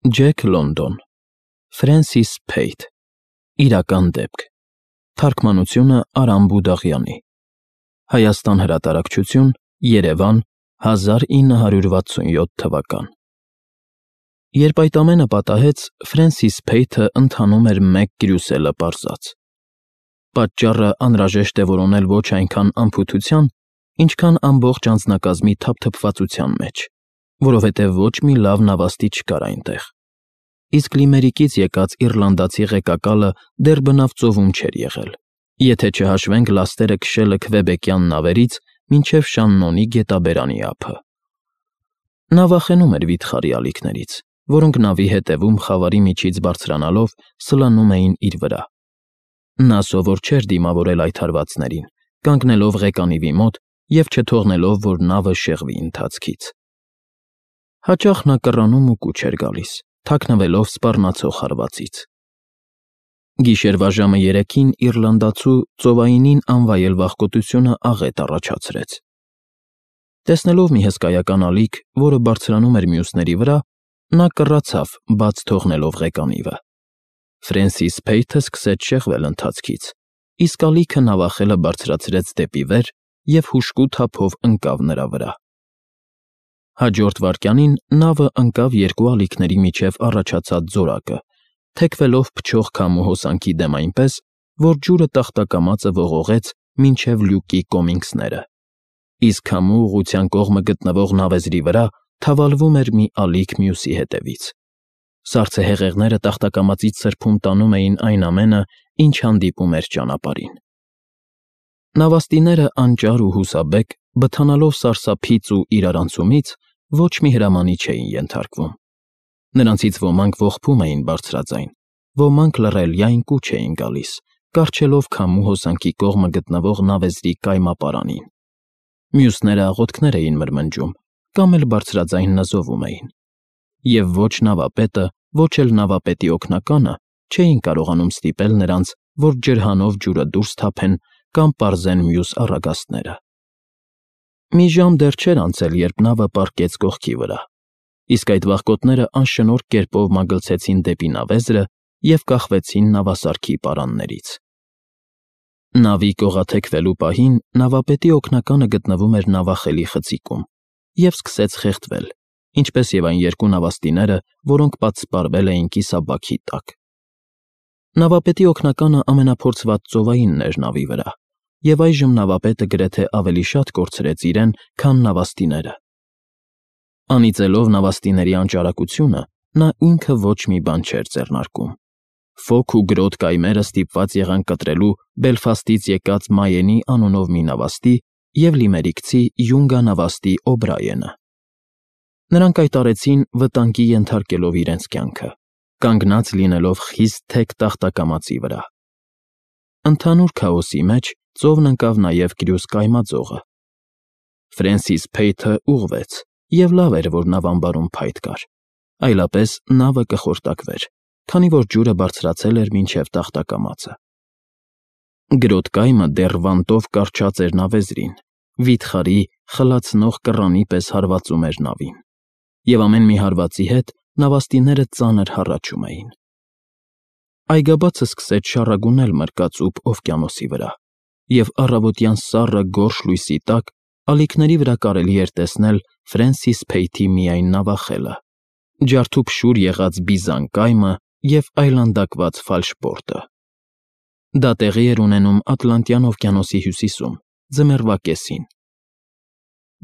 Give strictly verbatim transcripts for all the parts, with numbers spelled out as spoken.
Ջեք Լոնդոն Ֆրենսիս Փեյթ Իրական դեպք Թարգմանությունը Արամ Բուդաղյանի Հայաստան հրատարակչություն Երևան հազար ինը հարյուր վաթսունյոթ թվական Երբ այդ ամենը պատահեց, Ֆրենսիս Փեյթը ընթանում էր մեկ կրյուսելը պարզած։ Պատճառը անհրաժեշտ է որոնել ոչ այնքան անփութության, ինչքան ամբողջ անձնակազմի թափթփվածության մեջ, որովհետև ոչ մի լավ նավաստի չկար այնտեղ։ Իսկ Լիմերիկից եկած իռլանդացի ղեկակալը դեռ բնավ ծովում չէր եղել, եթե չհաշվենք լաստերը քշելը քվեբեկյան նավերից մինչև Շաննոնի գետաբերանի ափը։ Նա վախենում էր վիթխարի ալիքներից, որոնք նավի հետևում խավարի միջից բարձրանալով սլանում էին իր վրա։ Նա սովոր չէր դիմավորել այդ հարվածներին, կանգնելով ղեկանիվի մոտ և չթողնելով, որ նավը շեղվի ընթացքից։ Հաճախ նա կռանում ու կուչ էր գալիս, թաքնվելով սպառնացող հարվածից։ Գիշերվա ժամը երեքին իռլանդացու ծովայինին անվայել վախկոտությունը աղետ առաջացրեց։ Տեսնելով մի հսկայական ալիք, որը բարձրանում էր մյուսների վրա, նա կռացավ, բաց թողնելով ղեկանիվը։ Ֆրենսիս Փեյթը սկսեց շեղվել ընթացքից, իսկ ալիքը նավախելը բարձրացրեց դեպի վեր և հուժկու թափով ընկավ նրա վրա։ Հաջորդ վայրկյանին նավը ընկավ երկու ալիքների միջև առաջացած զորակը, թեքվելով փչող քամու հոսանքի դեմ այնպես, որ ջուրը տախտակամածը ողողեց մինչև լյուկի կոմինգսները, իսկ քամու ուղղության կողմը գտնվող նավեզրի վրա թավալվում էր մի ալիք մյուսի հետևից։ Սառցեհեղեղները տախտակամածից սրբում տանում էին այն ամենը, ինչ հանդիպում էր ճանապարհին։ Նավաստիները անճար ու հուսաբեկ, բթանալով սարսափից ու իրարանցումից, ոչ մի հրամանի չէին ենթարկվում։ Նրանցից ոմանք ողբում էին բարձրաձայն, ոմանք լռելյայն կուչ էին գալիս, կառչելով քամու հոսանքի կողմը գտնվող նավեզրի կայմապարանին։ Մյուսները աղոթքներ էին մրմնջում կամ էլ բարձրաձայն նզովում էին։ Եվ ոչ նավապետը, ոչ էլ նավապետի օգնականը չէին կարողանում ստիպել նրանց, որ ջրհանով ջուրը դուրս թափեն կամ պարզեն մյուս առագաստները։ Մի ժամ դեռ չէր անցել, երբ նավը պառկեց կողքի վրա, իսկ այդ վախկոտները անշնորհք կերպով մագլցեցին դեպի նավեզրը և կախվեցին նավասարքի պարաններից։ Նավի կողաթեքվելու պահին նավապետի օգնականը գտնվում էր նավախելի խցիկում և սկսեց խեղդվել, ինչպես և այն երկու նավաստիները, որոնք պատսպարվել էին կիսաբաքի տակ։ Նավապետի օգնականը ամենափորձված ծովայինն էր նավի վրա, և այժմ նավապետը գրեթե ավելի շատ կորցրեց իրեն, քան նավաստիները։ Անիծելով նավաստիների անճարակությունը, նա ինքը ոչ մի բան չէր ձեռնարկում։ Ֆոք ու գրոտ կայմերը ստիպված եղան կտրելու Բելֆաստից եկած Մայենի անունով մի նավաստի և լիմերիկցի Յունգա նավաստի Օբրայենը։ Նրանք այդ արեցին վտանգի ենթարկելով իրենց կյանքը, կանգնած լինելով խիստ թեք տախտակամածի վրա։ Ընդհանուր քաոսի մեջ ծովն ընկավ նաև կրյուս կայմաձողը։ Ֆրենսիս Փեյթը ուղղվեց, և լավ էր, որ նավամբարում փայտ կար, այլապես նավը կխորտակվեր, քանի որ ջուրը բարձրացել էր մինչև տախտակամածը։ Գրոտ կայմը դեռ վանտով կառչած էր նավեզրին, վիթխարի, խլացնող կռանի պես հարվածում էր նավին, և ամեն մի հարվածի հետ նավաստիները ծանր հառաչում էին։ Այգաբացը սկսեց շառագունել մրկածուփ օվկիանոսի վրա, և առավոտյան սառը գորշ լույսի տակ ալիքների վրա կարելի էր տեսնել Ֆրենսիս Փեյթի միայն նավախելը, ջարդուփշուր եղած բիզան կայմը և այլանդակված ֆալշպորտը։ Դա տեղի էր ունենում Ատլանտյան օվկիանոսի հյուսիսում, ձմեռվա կեսին։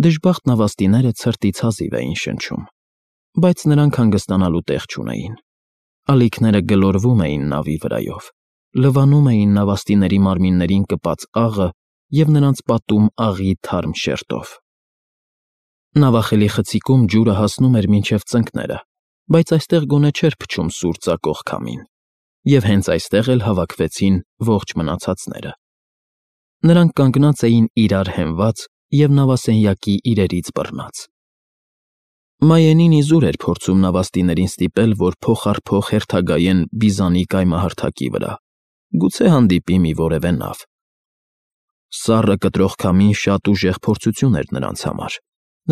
Դժբախտ նավաստիները ցրտից հազիվ էին շնչում, բայց նրանք հանգստանալու տեղ չունեին։ Ալիքները գլորվում էին նավի վրայով, լվանում էին նավաստիների մարմիններին կպած աղը և նրանց պատում աղի թարմ շերտով։ Նավախելի խցիկում ջուրը հասնում էր մինչև ծնկները, բայց այստեղ գոնե չէր փչում սուր ծակող քամին, և հենց այստեղ էլ հավաքվեցին ողջ մնացածները։ Նրանք կանգնած էին իրար հենված և նավասենյակի իրերից բռնած։ Մայենին իզուր էր փորձում նավաստիներին ստիպել, որ փող առ փող հերթագայեն բիզանի կայմահարթակի վրա, գուցե հանդիպի մի որևէ նավ։ Սառը կտրող քամին շատ ուժեղ փորձություն էր նրանց համար,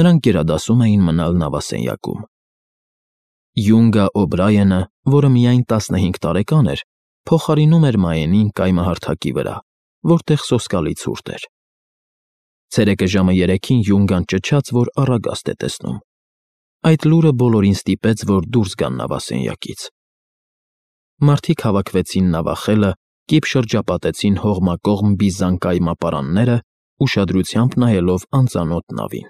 նրանք գերադասում էին մնալ նավասենյակում։ Յունգա Օբրայենը, որը միայն տասնհինգ տարեկան էր, փոխարինում էր Մայենին կայմահարթակի վրա, որտեղ սոսկալի ցուրտ էր։ Ցերեկը ժամը երեքին Յունգան ճչաց, որ առագաստ է տեսնում։ Այդ լուրը բոլորին ստիպեց, որ դուրս գան նավասենյակից։ Մարդիկ հավաքվեցին նավախելը, կիպ շրջապատեցին հողմակողմ բիզան կայմապարանները, ուշադրությամբ նայելով անծանոթ նավին։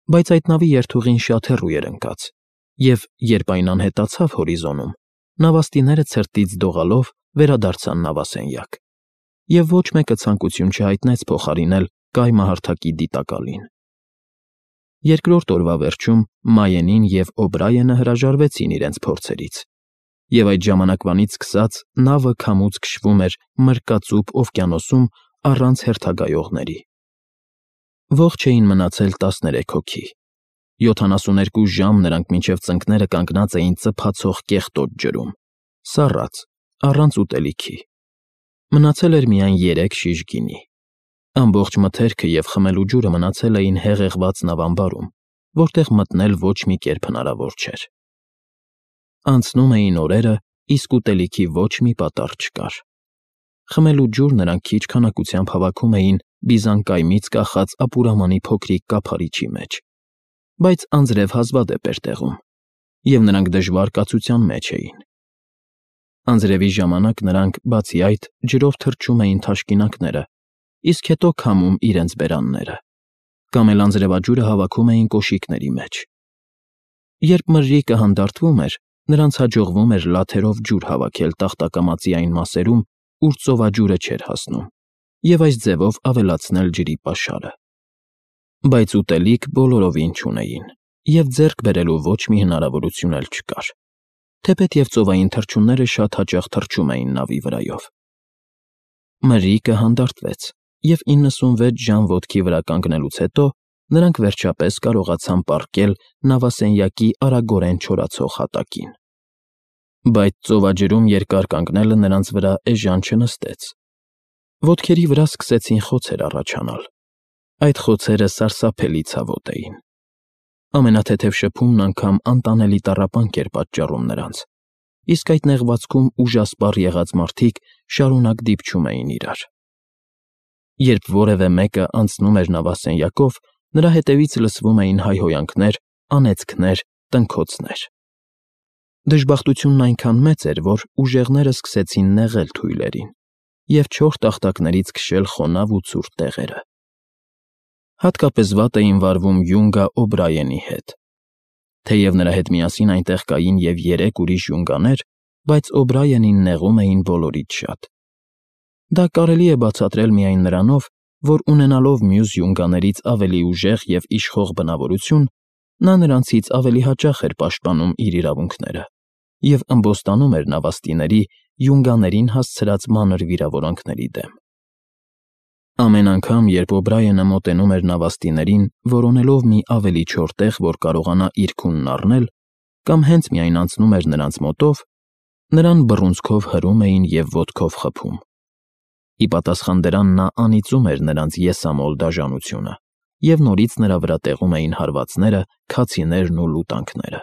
Բայց այդ նավի երթուղին շատ հեռու էր ընկած, և երբ այն անհետացավ հորիզոնում, նավաստիները ցրտից դողալով վերադարձան նավասենյակ, և ոչ մեկը ցանկություն չհայտնեց փոխարինել կայմահարթակի դիտակալին։ Երկրորդ օրվա վերջում Մայենին և Օբրայենը հրաժարվեցին իրենց փորձերից, և այդ ժամանակվանից սկսած նավը քամուց քշվում էր մրկածուփ օվկիանոսում առանց հերթագայողների։ Ողջ էին մնացել տասներեք հոգի։ Յոթանասուներկու ժամ նրանք մինչև ծնկները կանգնած էին ծփացող կեղտոտ ջրում, սառած, առանց ուտելիքի։ Մնացել էր միայն երեք շիշ գինի։ Ամբողջ մթերքը և խմելու ջուրը մնացել էին հեղեղված նավամբարում, որտեղ մտնել ոչ մի կերպ հնարավոր չէր։ Անցնում էին օրերը, իսկ ուտելիքի ոչ մի պատառ չկար։ Խմելու ջուր նրանք քիչ քանակությամբ հավաքում էին բիզանկայմից կախած ապուրամանի փոքրիկ կափարիչի մեջ, բայց անձրև հազվադեպ էր տեղում, և նրանք դժվար կացության մեջ էին։ Անձրևի ժամանակ նրանք, բացի այդ, ջրով թրջում էին թաշկինակները, իսկ հետո քամում իրենց բերանները, կամ էլ անձրևաջուրը հավաքում էին կոշիկների մեջ։ Երբ մրրիկը հանդարտվում էր, նրանց հաջողվում էր լաթերով ջուր հավաքել տախտակամածի այն մասերում, ուր ծովաջուրը չէր հասնում, և այս ձևով ավելացնել ջրի պաշարը։ Բայց ուտելիք բոլորովին չունեին, և ձեռք բերելու ոչ մի հնարավորություն էլ չկար, թեպետև ծովային թռչունները շատ հաճախ թռչում էին նավի վրայով։ Մրրիկը հանդարտվեց, և իննսունվեց ժամ ոտքի վրա կանգնելուց հետո նրանք վերջապես կարողացան պառկել նավասենյակի արագորեն չորացող հատակին։ Բայց ծովաջրում երկար կանգնելը նրանց վրա էժան չնստեց։ Ոտքերի վրա սկսեցին խոցեր առաջանալ։ Այդ խոցերը սարսափելի ցավոտ էին։ Ամենաթեթև շփումն անգամ անտանելի տառապանք էր պատճառում նրանց, իսկ այդ նեղվածքում ուժասպառ եղած մարդիկ շարունակ դիպչում էին իրար։ Երբ որևէ մեկը անցնում էր նավասենյակով, նրա հետևից լսվում էին հայհոյանքներ, անեծքներ, տնքոցներ։ Դժբախտությունն այնքան մեծ էր, որ ուժեղները սկսեցին նեղել թույլերին և չոր տախտակներից քշել խոնավ ու ցուրտ տեղերը։ Հատկապես վատ էին վարվում Յունգա Օբրայենի հետ։ Թեև նրա հետ միասին այնտեղ կային և երեք ուրիշ յունգաներ, բայց Օբրայենին նեղում էին բոլորից շատ։ Դա կարելի է բացատրել միայն նրանով, որ ունենալով մյուս յունգաներից ավելի ուժեղ և իշխող բնավորություն, նա նրանցից ավելի հաճախ էր պաշտպանում իր իրավունքները և ըմբոստանում էր նավաստիների յունգաներին հասցրած մանր վիրավորանքների դեմ։ Ամեն անգամ, երբ Օբրայենը մոտենում էր նավաստիներին, որոնելով մի ավելի չոր տեղ, որ կարողանա իր քունն առնել, կամ հենց միայն անցնում էր նրանց մոտով, նրան բռունցքով հրում էին և ոտքով խփում։ Ի պատասխան դրան նա անիծում էր նրանց եսամոլ դաժանությունը, և նորից նրա վրա տեղում էին հարվածները, քացիներն ու լուտանքները։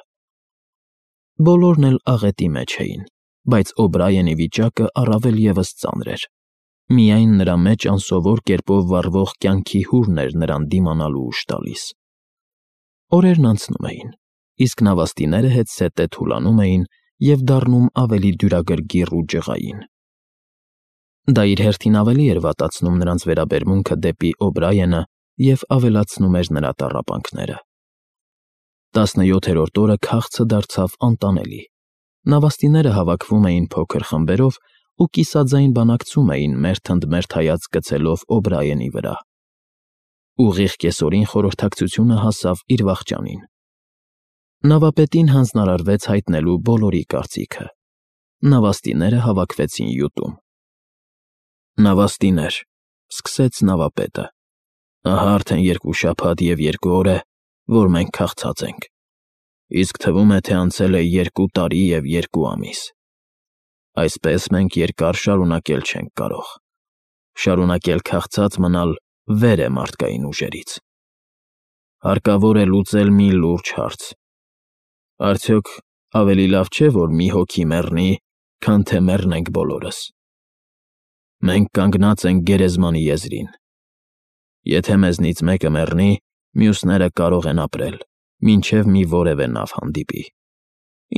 Բոլորն էլ աղետի մեջ էին, բայց Օբրայենի վիճակը առավել ևս ծանր էր։ Միայն նրա մեջ անսովոր կերպով վառվող կյանքի հուրն էր նրան դիմանալու ուժ տալիս։ Օրերն անցնում էին, իսկ նավաստիները հետզհետե թուլանում էին և դառնում ավելի դյուրագրգիռ ու ջղային։ Դա իր հերթին ավելի էր վատացնում նրանց վերաբերմունքը դեպի Օբրայենը և ավելացնում էր նրա տառապանքները։ Տասնյոթերորդ օրը քաղցը դարձավ անտանելի։ Նավաստիները հավաքվում էին փոքր խմբերով ու կիսաձայն բանակցում էին մերթ ընդ մերթ հայացք գցելով Օբրայենի վրա։ Ուղիղ կեսօրին խորհրդակցությունը հասավ իր վախճանին։ Նավապետին հանձնարարվեց հայտնելու բոլորի կարծիքը։ Նավաստիները հավաքվեցին յուտում։ Նավաստիներ, սկսեց նավապետը, ահա արդեն երկու շաբաթ և երկու օր է, որ մենք քաղցած ենք, իսկ թվում է, թե անցել է երկու տարի և երկու ամիս։ Այսպես մենք երկար շարունակել չենք կարող։ Շարունակել քաղցած մնալ վեր է մարդկային ուժերից։ Հարկավոր է լուծել մի լուրջ հարց. արդյոք ավելի լավ չէ, որ մի հոգի մեռնի, քան թե մեռնենք բոլորս։ Մենք կանգնած ենք գերեզմանի եզրին։ Եթե մեզնից մեկը մեռնի, մյուսները կարող են ապրել, մինչև մի որևէ նավ հանդիպի։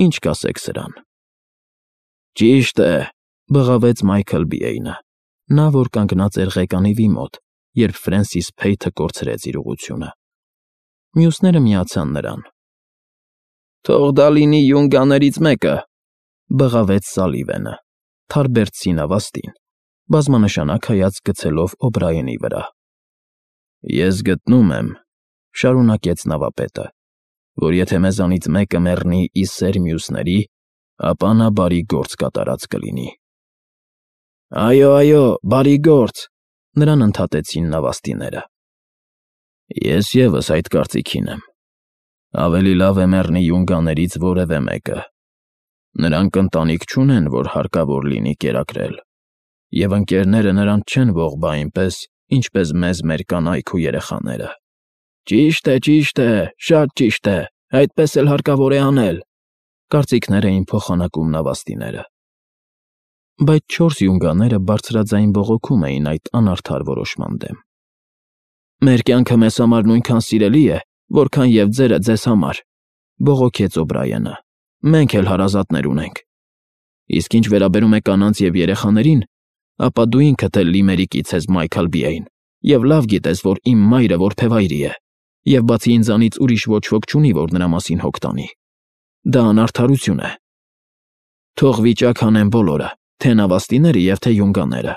Ինչ կասեք սրան։ Ճիշտ է, բղավեց Մայքլ Բիեյնը, նա որ կանգնած էր ղեկանիվի մոտ, երբ Ֆրենսիս Փեյթը կորցրեց իր ուղղությունը։ Մյուսները միացան նրան։ Թող դա լինի յունգաներից մեկը, բղավեց Սալիվենը, թարբերցի նավաստին, բազմանշանակ հայացք գցելով Օբրայենի վրա։ Ես գտնում եմ, շարունակեց նավապետը, որ եթե մեզանից մեկը մեռնի ի սեր մյուսների, ապա նա բարի գործ կատարած կլինի։ Այո, այո, բարի գործ, նրան ընդհատեցին նավաստիները։ Ես ևս այդ կարծիքին եմ։ Ավելի լավ է մեռնի յունգաներից որևէ մեկը։ Նրանք ընտանիք չունեն, որ հարկավոր լինի կերակրել, և ընկերները նրանց չեն ողբա այնպես, ինչպես մեզ մեր կանայք ու երեխաները։ Ճիշտ է, ճիշտ է, շատ ճիշտ է, այդպես էլ հարկավոր է անել, կարծիքներ էին փոխանակում նավաստիները։ Բայց չորս յունգաները բարձրաձայն բողոքում էին այդ անարդար որոշման դեմ։ Մեր կյանքը մեզ համար նույնքան սիրելի է, որքան և ձերը ձեզ համար, բողոքեց Օբրայենը, մենք էլ հարազատներ ունենք։ Իսկ ինչ վերաբերում է կանանց և երեխաներին, ապա դու ինքդ էլ լիմերիկից ես, Մայքլ Բիեյն, և լավ գիտես, որ իմ մայրը որբևայրի է, և բացի ինձանից ուրիշ ոչ ոք չունի, որ նրա մասին հոգ տանի։ Դա անարդարություն է։ Թող վիճակ անեն բոլորը, թե նավաստիները և թե յունգաները։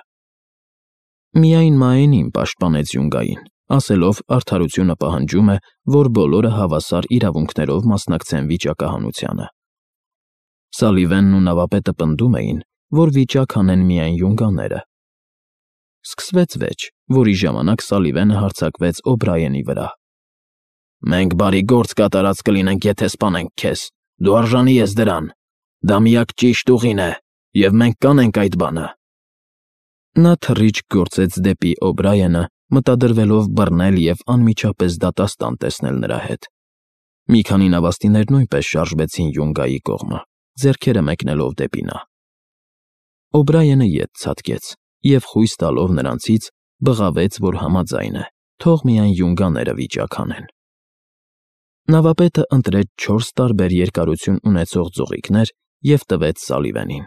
Միայն Մաենին պաշտպանեց յունգային, ասելով արդարությունը պահանջում է, որ բոլորը հավասար իրավունքներով մասնակցեն վիճակահանությանը։ Սալիվենն ու նավապետը պնդում էին, որ վիճակ անեն միայն յունգաները։ Սկսվեց վեճ, որի ժամանակ Սալիվենը հարձակվեց Օբրայենի վրա։ Մենք բարի գործ կատարած կլինենք, եթե սպանենք քեզ, դու արժանի ես դրան, դա միակ ճիշտ ուղին է, և մենք կանենք այդ բանը։ Նա թռիչք գործեց դեպի Օբրայենը, մտադրվելով բռնել և անմիջապես դատաստան տեսնել նրա հետ։ Մի քանի նավաստիներ նույնպես շարժվեցին յունգայի կողմը, ձեռքերը մեկնելով դեպի նա։ Օբրայենը ետ ցատկեց և խույս տալով նրանցից բղավեց, որ համաձայն է, թող միայն յունգաները վիճակ անեն։ Նավապետը ընտրեց չորս տարբեր երկարություն ունեցող ձողիկներ և տվեց Սալիվենին։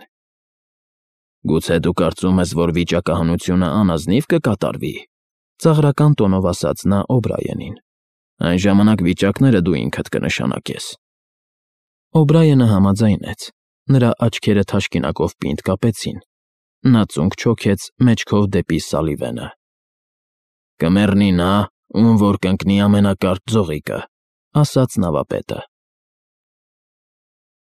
Գուցե դու կարծում ես, որ վիճակահանությունը անազնիվ կկատարվի, ծաղրական տոնով ասաց նա Օբրայենին։ Այն ժամանակ վիճակները դու ինքդ կնշանակես։ Օբրայենը համաձայնեց, նրա աչքերը թաշկինակով պինդ կապեցին, նա ծունկ չոքեց մեջքով դեպի Սալիվենը։ Կմեռնի նա, ում որ կընկնի ամենակարճ ձողիկը, ասաց նավապետը։